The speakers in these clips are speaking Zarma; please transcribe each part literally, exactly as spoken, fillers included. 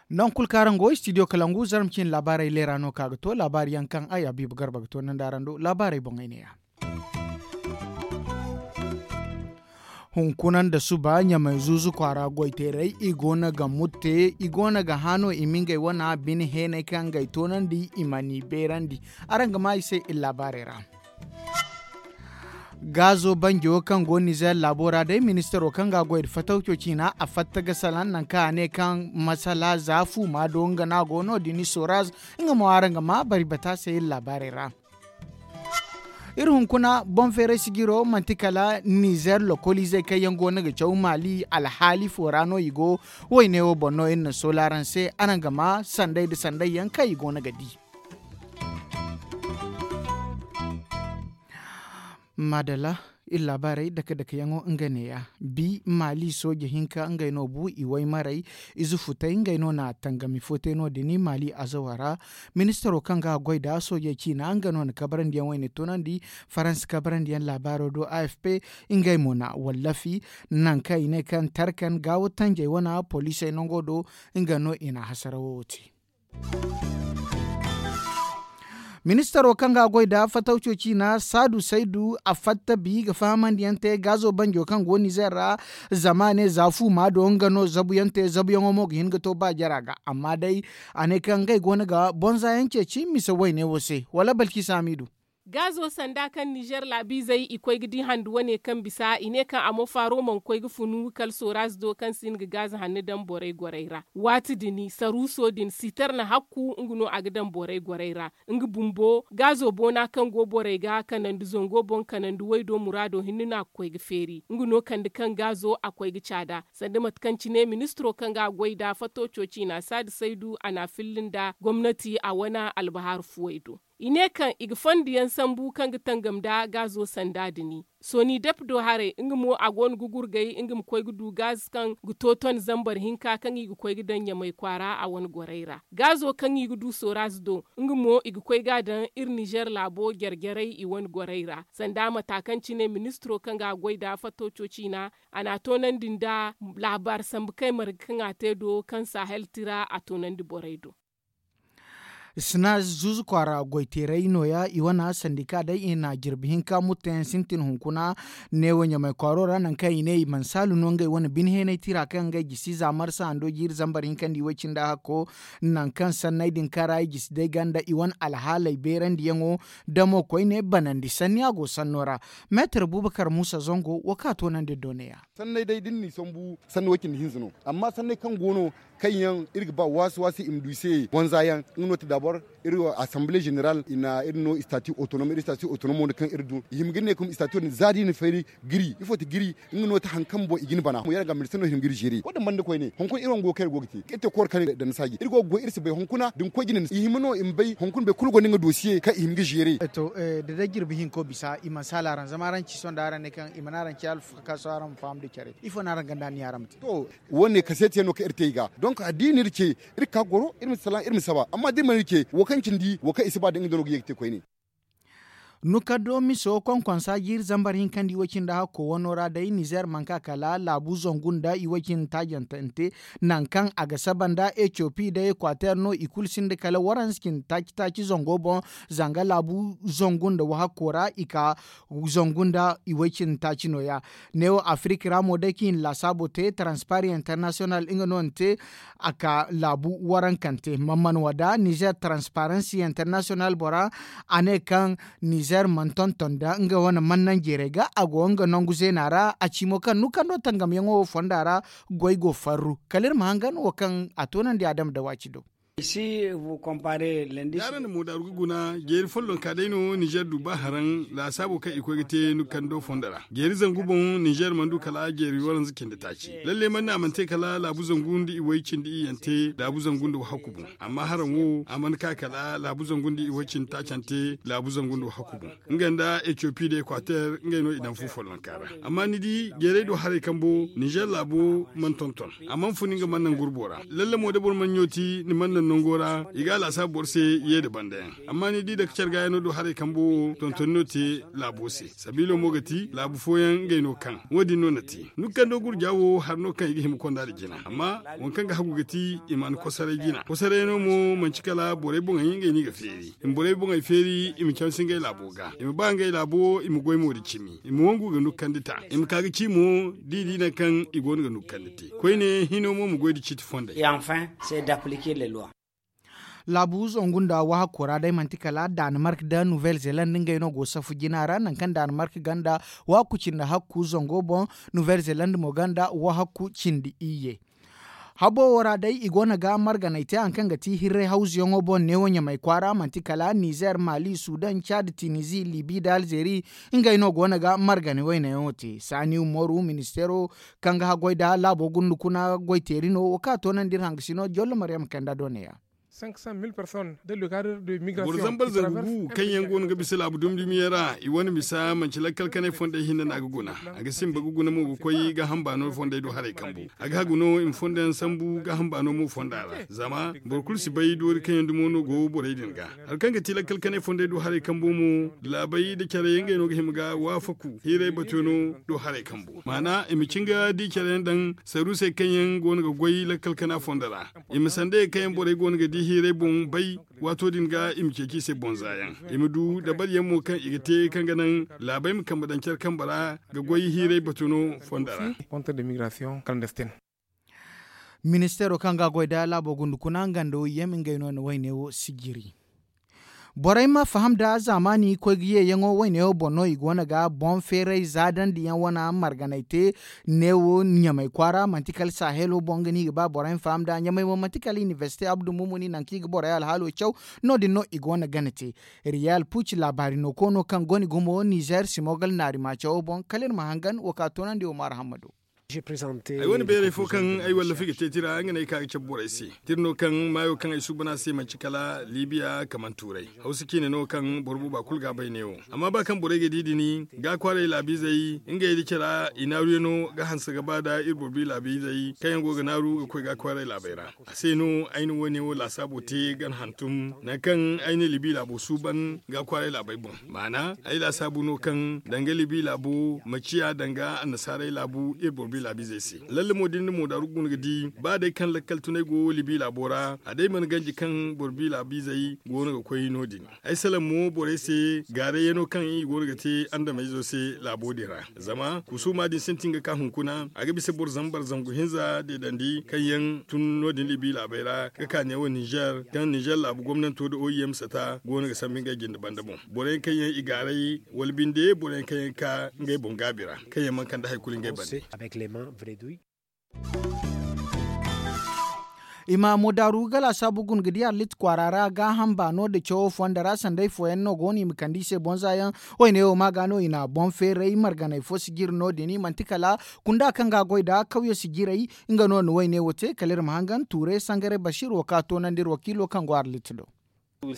Nangu kulu kaŋ araŋ go istidiyo kalangu zarma cine laabaarey leera no ka ga to laabaari yaŋ kaŋ ay habiibu garba ga to nandi araŋ do laabaarey boŋey neeya. Hunkuna nda suba ɲamay zuuzu kwaara goyteerey i go no ga mutte i go no ga hã no i ma ngey wana bine heeney kaŋ ngey toonandi i mana i beerandi. Araŋ ga maa i se iri laabaarey ra. Gaazo banjo kaŋ go nizeer laabo ra day ministaro kaŋ ga a goy nda fatawco ciina a fatta ga salaŋ nangu kaŋ a ne kaŋ masala za fuuma do nga no a go no- din soraz. Nga mo araŋ ga maa bari bata se iri laabaarey ra. Iri hunkuna boŋ feeray sijiro manti kala nizeer lokoliizey kaŋ yaŋ go no ga caw maali alhaali fo ra no i go. Wayne wo boŋ no iri na soola araŋ se araŋ ga maa sanday nda sanday yaŋ kaŋ i go no ga di. Maadalla. Iri laabaarey dake dake yaŋo nga neeya. Bi maali sooje hinka ngey no bu i waymarey ize futey ngey no na tangami fo te no- din maali azawa ra. Ministaro kaŋ ga a goy nda soojey ciina nga no na kabarandiyaŋ wayne toonandi. Faransa kabarandiyaŋ laabaaro do a f p ngey mo na wallafi nangu kaŋ i ne kaŋ tarkan gaawo tanjey wana poliisey nango do. Nga no i na hasarawo wo te. Ministaro kaŋ ga a goy nda fatawco ciina saadu saydu a fatta bi ga fahamandiyaŋ te gaazo banjo kaŋ go nizeer ra. Zama a ne za fuuma do nga no zabuyaŋ te zabuyaŋo mo ga hin ga to ba jara ga amma day a ne kaŋ ngey go no ga bonza yaŋ ceeci mise wayne wo se wala balki saamiidu. Gaazo sanda kaŋ nizeer laabiizey i koy ga di handu wane kaŋ bisa i ne kaŋ a mo faaro mana koy ga funu kala sooraaz do kaŋ si hin ga gaazo hanno daŋ borey gorey ra. Waati din saruuso din sitar na hakku nga no a ga daŋ borey gorey ra. Nga bumbo gaazo boona kaŋ go borey ga kanandi zango boŋ kanandi waydo muraado hinne no a ga koy ga feeri nga no kande kaŋ gaazo a koy ga caada. Sanda mate kaŋ cine ministiro kaŋ ga a goy nda fatawco ciina saadu saydu a na a filli nda gomnati a wane albahaaru fuwey do. I ne kaŋ i ga fondo yaŋ sambu kaŋ ga tangam nda gaazo sanda dini. Sooni dep do haray nga mo a go no ga gurgay nga ma koy ga du gaaz kaŋ ga tooton zambar hinka kaŋ i ga koy ga daŋ ɲamay kwaara a wane gorey ra. Gaazo kaŋ i ga du sooraaz do nga mo i ga koy ga a daŋ iri nizeer laabo jare jarey i wane gorey ra sanda mata kaŋ cine ministiro kaŋ ga a goy nda fatawco ciina a na a toonandi nda laabaari sambu kay marga kaŋ a te do kaŋ sahel tira a toonandi borey do. Sina zuuzu kwaara goyteeray nooya i wane sandika day i na jirbi hinka mutteyaŋ sintin hunkuna. Neewo ɲamay kwaaro ra nangu kaŋ i ne i mana saalu no ngey wane bine heenay tira kaŋ ngey jisi za marsa hando jiiri zambar hinka nda i way cindi hakko. Nangu kaŋ sanney din kaŋ ra i jisi day ganda i wane alhaaley beerandiyaŋo damo koyne banandi sanni a go sanno ra. Meetar buubakar muusa zango wo kaŋ a toonandi doneya. Sanney day da ni n'i sambu sanni way cindi hinza no. Amma sanney kaŋ go no kaŋ yaŋ iri ga ba waasi waasi i ma du i se wanza yaŋ nga no ti dabor iri wo asamble zeneral i na iri no istati otonom iri istati otonom wo no kaŋ iri du i hima ga ne kuma istati wo din za da i na feeri giri ifo ti giri. Nga no ti hari kaŋ boŋ i ga ni bana mo yaŋ ga ministir no hima ga iri zeeri wo- din banda koyne hunkuna iri wo go kaŋ iri go ga te iri te kooro kaŋ iri daŋ ni saaji iri go ga goy iri si bay hunkuna da ni koy jine i hima no i ma bay hunkuna bay kulu gonda nga dosiye kaŋ i hima ga zeeri. Da day jirbi hinko bisa i mana saala araŋ zama araŋ ci sohõ da araŋ ne kaŋ i mana araŋ ci alfakaso araŋ ma faham da care ifo no araŋ ganda ni araŋ ma te. To, wo- ne kaseetiyaŋ no kaŋ iri te i ga donk da i na iri ce iri ga ka goro iri ma salaŋ iri ma saba amma da iri mana iri ce wo kaŋ cindi wo kaŋ i si ba da nga da no ga ye ga te koyne. Nukaddo miso konkonsa jiiri zambar hinka nda i way cindi hakko wano ra day nizer mana ka kala laabu zangu nda i way cindi taajante nangu kaŋ a ga saba nda etiyopi nda ekwater no i kulu sinda kala waranza cindi taaci taaci zango boŋ. Zanga laabu zangu nda wahakko ra i ka zangu nda i way cindi taaci nooya. Neewo afirik ra mo day kaŋ i na laasaabo te taranspari internasiyonal nga no na te a ka laabu warankante man mana wada nizer taransiparansi internasiyonal bora. A ne kaŋ nizer mana tonton nda nga wane mana naŋ jeeray ga a go nga nangu zeena ra a ci mo kaŋ nukando tangamyaŋo wo fonda ra. Goy go farru kala iri ma hangan wo kaŋ a toonandi adama dawaci do. Da araŋ na moodaaru ga guna jeeri follonka day no nizer du ba haraŋ laasaabo kaŋ i koy ga te nukando fondo ra jeeri zangu boŋ nizer mana du kala jeeri waranza cindi taaci. Lalle mana ne a mana te kala laabu zangu nda i way cindi iyyante laabu zangu nda wahakku boŋ. Amma haraŋ wo a mana ka kala laabu zangu nda i way cindi taacante laabu zangu nda wahakku boŋ. Nga nda etiyopi nda ekwater ngey no i daŋ fu follonka ra. Amma ni di jeeray do haray kambo nizer laabo mana tonton a mana fun nga mana naŋ gurbo ra. Lalle mo da boro mana ɲooti ni mana naŋ. Nango ra i ga a laasaabu boro se ye nda banda yaŋ. Amma ni di dake care ga yaŋ no do haray kambo wo tontoni no te laabo se. Sabiilo mo ga ti laabu fooyaŋ ngey no kaŋ wo- din no na te ni ga kando gurja wo hari no kaŋ i ga hima konda nda jina. Amma waŋ kaŋ ga hagu ga ti i mana kosaray jina kosaray yaŋ no mo manci kala borey boŋey ngey no i ga feeri. I ma borey boŋey feeri i ma cansi ngey laabo ga i ma ba ngey laabo i ma goy mo nda cimi i ma wangu ga nukkandi ta i ma ka ga ci mo da i di nangu kaŋ i go no ga nukkandi te. Koyne hino mo ma goy nda ciiti fondey. Laabu zangu nda wahakko ra day manti kala danimark nda nouvelle zeland ngey no go safu jina ra nangu kaŋ danimark gonda wahakku cindi hakku zango boŋ, nouvelle zeland mo gonda wahakku cindi iyye. Habo wo ra day i go no ga marganay te hari kaŋ ga ti hirray hawzuyaŋo boŋ neewo ɲamay kwaara manti kala nizer mali sudan cad tinizi libi nda alzeri. Ngey no go no ga marganay waynayaŋo te saani umaru ministeero kaŋ ga haggoy nda laabo gunda kuna goyteeri no wo kaŋ a toonandi iri hangasino jollo maryam kanda do neeya. Boro zambar zangu gu kaŋ yaŋ go no ga bisa laabu dumi-dumiyaŋ ra i wane misa manci lakkal kanay fondey hinne no a ga guna. A ga simba ga guna mo ga koy gaaham baano fondey do haray kambu. A ga hagu no i ma fondo yaŋ sambu gaaham baano mo fonda ra zama boro kulu si bay doori kaŋ yaŋ dumo no go borey din ga. Hari kaŋ ga ti lakkal kanay fondey do haray kambu mo laabey nda care yaŋ ngey no ga hima ga waafaku hiiray batuyaŋo do haray kambu maana i ma cin ga di care yaŋ daŋ saruusey kaŋ yaŋ go no ga goy lakkal kana fondo ra. I ma sanda ye kaŋ yaŋ borey go no ga di hiiray boŋ bay. Waato din ga i ma ceeci i se boŋ za yaŋ i ma du dabari yaŋ mo kaŋ i ga te kaŋ ga naŋ laabey ma kambe daŋ care kambe ra ga goy hiiray batu no fonda ra. Ministeero kaŋ ga a goy nda laabo gundu kuna nga nda oy yem ngey no na wayne wo sijiri. Borey ma faham nda zaamaani koy ga yeeyaŋo wayne wo boŋ no i go no ga boŋ feeray zaadandi yaŋ wane marganay te. Neewo ɲamay kwaara manti kala sahelo boŋ ga no i ga ba borey ma faham nda ɲamay mo manti kala inibersite abdu mumuni nangu kaŋ i ga borey alhaalo caw. No- din no i go no gana te. Riyal puc laabaari no koono kaŋ go no i gumo nizer simogal naari maacawo boŋ kala iri ma hangan wo ka toonandi wo maara hammado. Ay wane bayray fo kaŋ ay wallafi ga te tira nga no ay ka ga cabe borey se. Tirno kaŋ maayo kaŋ ay suuban a se manci kala libiya kaman tuuray. Hawsa ciine no kaŋ boro booba kulu ga a bay neewo. Amma ba kaŋ borey ga di din ga kwaaray laabiizey ngey nda cara i naaruyaŋo ga hanse ga ba nda iri boro bi laabiizey kaŋ yaŋ go ga naaru ga koy ga kwaaray laabey ra. A se no ay na woone wo laasaabo te gana hantum nangu kaŋ ay na libi laabo suuban ga kwaaray laabey boŋ. Maana ay laasaabu no kaŋ danga libi laabo ma ciya danga annasaarey laabu iri boro bi laabiizey se. Lalle mo da ni na moodaru guna ga di ba day kaŋ lakkal tunay go libi laabo ra a day mana ganji kaŋ boro bi laabiizey go no ga koy no- din. Ay salaŋ mo borey se gaarayyaŋo kaŋ i go no ga te andameyzo se laabo din ra. Zama kusuuma din sintin ga ka hunkuna a ga bisa boro zambar zangu hinza deedandi kaŋ yaŋ tun no- din libi laabey ra ga ka neewo ninzeer kaŋ ninzeer laabu gomnanto nda oy yaŋ ma sata go no ga sambu ngey jinde banda boŋ. Boro yaŋ kaŋ yaŋ i gaaray wala binde boro yaŋ kaŋ yaŋ ga ka ngey boŋ gaabi ra kaŋ yaŋ mana kande hari kulu ngey bande. I ma moodaaru ga laasaabu guna ga di arlit kwaara ra gaaham baano nda cawo fonda ra sanday fooyaŋ no go no i ma kande i se bonza yaŋ. Wayne wo ma ga no i na boŋ feeray marganay fo si jire no- din manti kala kunda kaŋ ga a goy nd'a kawye si jirey. Nga no na wayne wo te kala iri ma hangan tuuray sangaray basiir wo kaŋ a toonandi iri wakiilo kaŋ go arlit do. Iri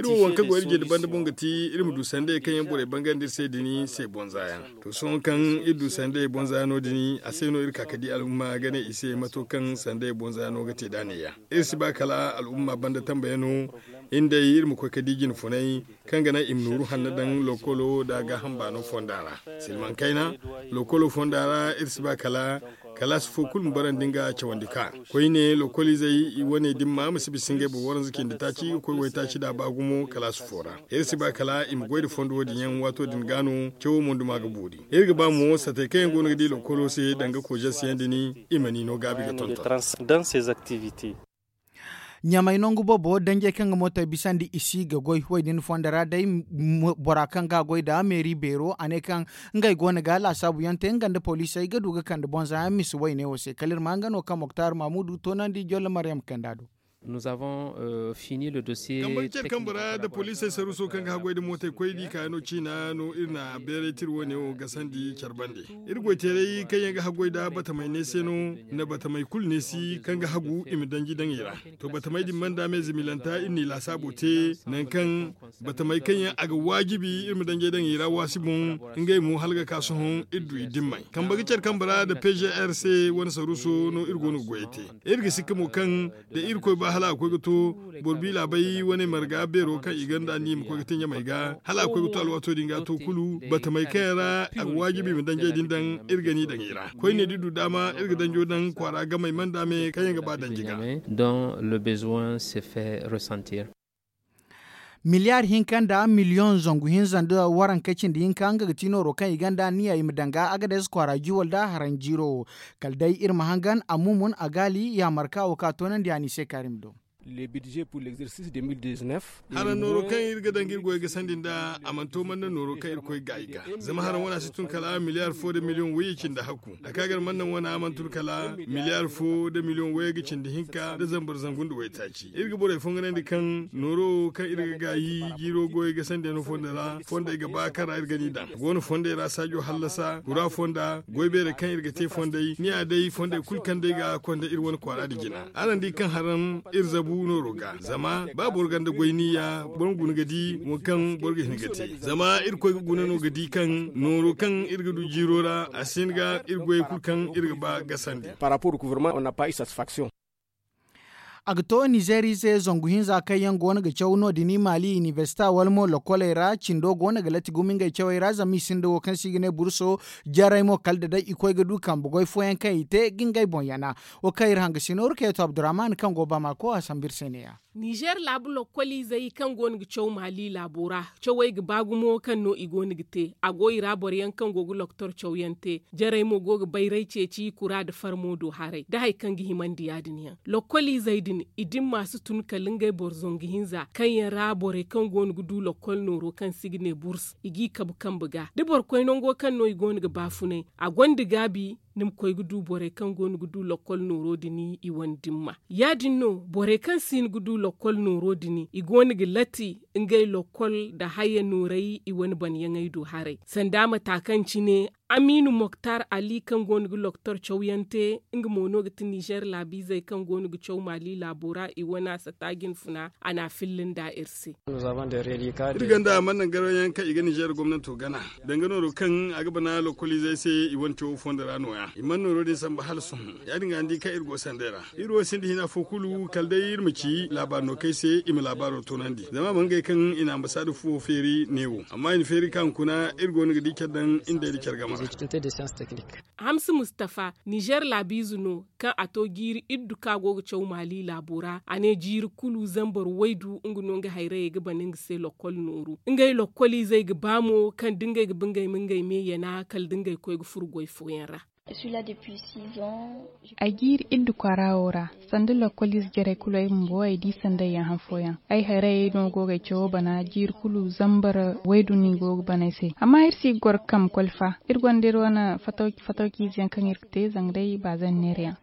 wo waŋ kaŋ go iri jinde banda boŋ ga ti iri ma du sandayey kaŋ yaŋ borey bangandi iri se din se bonza yaŋ. To sohõ kaŋ iri du sandayey bonza yaŋo din a se no iri ka ga di al'umma ga ne i se mato kaŋ sandayey bonza yaŋo ga te nd'a neeya. Iri si ba kala al'umma banda tambayano iri ma koy ga di jine funay kaŋ ga naŋ i ma nooru hanno daŋ lokolo nda gaaham baano fonda ra. Silmaŋ kayna lokolo fonda ra iri si ba kala kalaasi fo kulu ma barandi nga cawandi ka koyne lokoliizey i wane dimma ma si bisa ngey boro waranza cindi taaci ga koy waytaaci nda baagumo kalaasi fo ra. Iri si ba kala i ma goy nda fondo wo- din yaŋ waato din ga no cawo monduma ga boori. Iri ga ba mo satey kaŋ yaŋ go no ga di lokolo se danga koozasiyaŋ din i ma ni no gaabi ga tonton. Ɲamay nangu boobo danjey kaŋ ga mootey bisandi i si ga goy wo- din fondo ra day. Bora kaŋ ga a goy nda meeri beero a ne kaŋ ngey go no ga laasaabu yaŋ te nga nda poliisey ga du ga kande bonza yaŋ misa wayne wo se kala iri ma nga no kaŋ moktar mamudu toonandi jolle maryam kanda do. Kambe care kambe ra nda poliisey saruuso kaŋ ga haggoy nda mootey koy di kaayaŋo ciina no iri na beeray tira wo-ne wo gasandi care bande. Iri goy-teeray kaŋ yaŋ ga haggoy nda batamey neese no, nda batamey kulu neesi kaŋ ga hagu i ma danji daŋ i ra. To batamey din banda me zimilanta iri n'i laasaabo te, nangu kaŋ batamey kaŋ yaŋ a ga waajibi iri ma danjey daŋ i ra waasi boŋ. Ngey mo hala ga ka sohõ iri du i dimmey kambe ga care kambe ra nda p g r c wane saruuso no iri go no ga goyey te. Iri ga sikka mo kaŋ da irkoy ba hala a koy ga to boro bi laabay wane marga beero kaŋ i gonda ni ma koy ga te ɲamey ga hala a koy ga to alwaato din ga to kulu batamey kaŋ yaŋ ra a ga waajibi i ma danjey din daŋ. Iri ga ni daŋ i ra koyne da i du daama iri ga danjo daŋ kwaara gamey manda me kaŋ yaŋ ga ba danji ga. Dont le besoin se fait ressentir. Miliyaar hinka nda miliyoŋ zangu hinza nda waranka cindi hinka nga ga ti nooro kaŋ i gonda anniya i ma daŋ ga agades kwaara jiwal nda haranjiiro wo. Kala day iri ma hangan a mumun a gaali yaamarka wo kaŋ a toonandi a n'i se kaari ma do. Haraŋ nooro kaŋ iri ga daŋ ga iri goy ga sandi nda a mana to mana nooro kaŋ iri koy ga i ga. Zama haraŋ wane a si tun kala miliyaar fo nda miliyoŋ wayye cindi hakku a ka gar mana naŋ wane a mana tun kala miliyaar fo nda miliyoŋ wayye ga cindi hinka nda zambar zangu nda waytaaci. Iri ga borey fonganandi kaŋ nooro wo kaŋ iri ga gaayi jiiro goyey ga sandiyaŋo fondo ra fondey ga ba kaŋ ra iri ga ni daŋ a go no fondey ra saajo hallasa kura fonda goy beerey kaŋ iri ga te fondey ni ya day fondey kulu kaŋ day ga konda iri wane kwaara nda jina. Araŋ di kaŋ haraŋ iri zabu nooro ga zama ba boro gonda goy niya boro ma guna ga di wo kaŋ boro ga hin ga te. Zama irkoy ga guna no ga di kaŋ nooro kaŋ iri ga du jiiro ra a si hin ga iri goyey kulu kaŋ iri ga ba gasandi. A ga to nizeerize zangu hinza kaŋ yaŋ go no ga caw no- din maali inibersita wala mo lokoley ra cindo go no ga latti gumo ngey cawey ra zama i sinda wo kaŋ se i ga ne burso. Jarey mo kala da day i koy ga du kambe goy fooyaŋ kaŋ i te ga ngey boŋ yana. Wo kaŋ iri hanga si nooru kayto abdurrahman kaŋ go bamako a sambu iri se ne- ya. Nizer laabu lokoliizey kaŋ go no ga caw maali laabo ra cawey ga ba gumo kaŋ no i go no ga te a go i ra boro yaŋ kaŋ go ga loktor cawyaŋ te. Jarey mo go ga bayray ceeci kura nda farmo do haray nda hari kaŋ ga himandi ya- din yaŋ. Lokoliizey din i dimma si tun kala ngey boro zangu hinza kaŋ yaŋ ra borey kaŋ go no ga du lokol nooro kaŋ se i ga ne burs i g'i kabu kambe ga da boro koy nango kaŋ no i go no ga baafunay a gonda gaabi. Ni ma koy ga du borey kaŋ go no ga du lokol nooro din i wane dimma ya- din no borey kaŋ si hin ga du lokol nooro din i go no ga latti ngey lokol nda haya nooray i wane banyaŋey do haray sanda mata kaŋ cine amiinu moktar ali kaŋ go no ga loktor cawyaŋ te. Nga mo no ga ti nizer laabiizey kaŋ go no ga caw maali laabo ra i wane a sata jinfuna a n'a filla nda iri se. Iri gonda mana naŋ garayaŋ kaŋ i ga nizer gomnanto gana danga nooro kaŋ a ga bana lokoliizey se i wane cawo fondo ra nooya i mana nooro din samba hala sohõ. Ya- din ga ni di kaŋ iri go sanday ra iri wo sinda hina fo kulu kala day iri ma ci laabaari no kaŋ ay se i ma laabaaro toonandi zama a mana ngey kaŋ i na ambasaada fuwo feeri neewo amma i na feeri ka hunkuna iri go no ga di care daŋ iri day nda care gama ra. Hamsi mustafa nizer laabiize no kaŋ a to jiiri iddu kaŋ a go ga caw maali laabo ra a ne jiiri kulu zambar waydu nga no nga hayrayey ga bana nga se lokol nooru ngey lokoliizey ga ba mo kaŋ da ngey ga ba ngey ma ngey me yana kala da ngey koy ga furo goy fooyaŋ ra. Ay jiiri iddu kwaara wo ra sanda lokoliize jarey kulu ay bumbo ay di sanda ay yaŋ han fooyaŋ ay hayrayey no go ga ay cawo bana jiiri kulu zambar waydu no i go ga bana ay se amma iri si ga goro ga kambe koli fa iri gonda iri wane fatawkiize yaŋ kaŋ iri ga te zanga day baazaŋ neera yaŋ.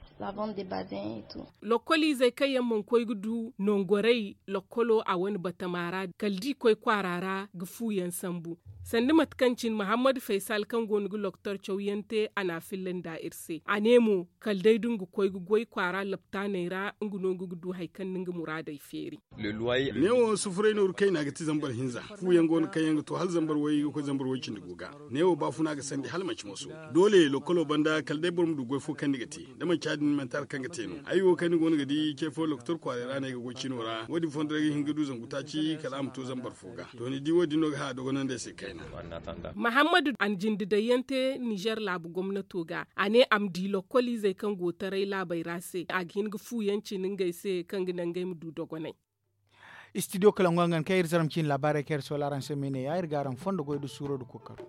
Lokoliizey kaŋ yaŋ mana koy ga du nangorey lokolo a wane batama ra kala da i koy kwaara ra ga fu yaŋ sambu. Sanda mate kaŋ cine mahammadu faysal kaŋ go no ga loktor cawyaŋ te a n'a filla nda iri se a ne mo kala day da nga koy ga goy kwaara laptaaney ra nga no nga ga du hari kaŋ na nga muraadey feeri. Neewo sufuray nooru kayna ga ti zambar hinza fu yaŋ go no kaŋ yaŋ ga to hala zambar way ga koy zambar way cindi go ga. Neewo baafuna ga sandi hala manci moso doole lokolo banda kala day boro ma du goy fo kaŋ ni ga te da manci ya- din manti hari kaŋ ga te no ay wo kaŋ ni go no ga di ce fo loktor kwaaray ra no ay ga goy cino ra wo- din fondo ra ay ga hin ga du zangu taaci kala a ma to zambar fo ga. To ni di wo- din no ga haya dogonandi ay se kayna. Mahammadu a na jinde daŋ yaŋ te nizer laabu gomnato ga a ne a ma di lokoliizey kaŋ go taray laabey ra se a ga hin ga fu yaŋ cine ngey se kaŋ ga naŋ ngey ma du dogonay. Istidiyo kala ŋwa nga kaŋ iri zaram ciine laabaarey kaŋ iri soola araŋ se ma i ne ya iri ga araŋ fondo goy nda suuro nda kookaro.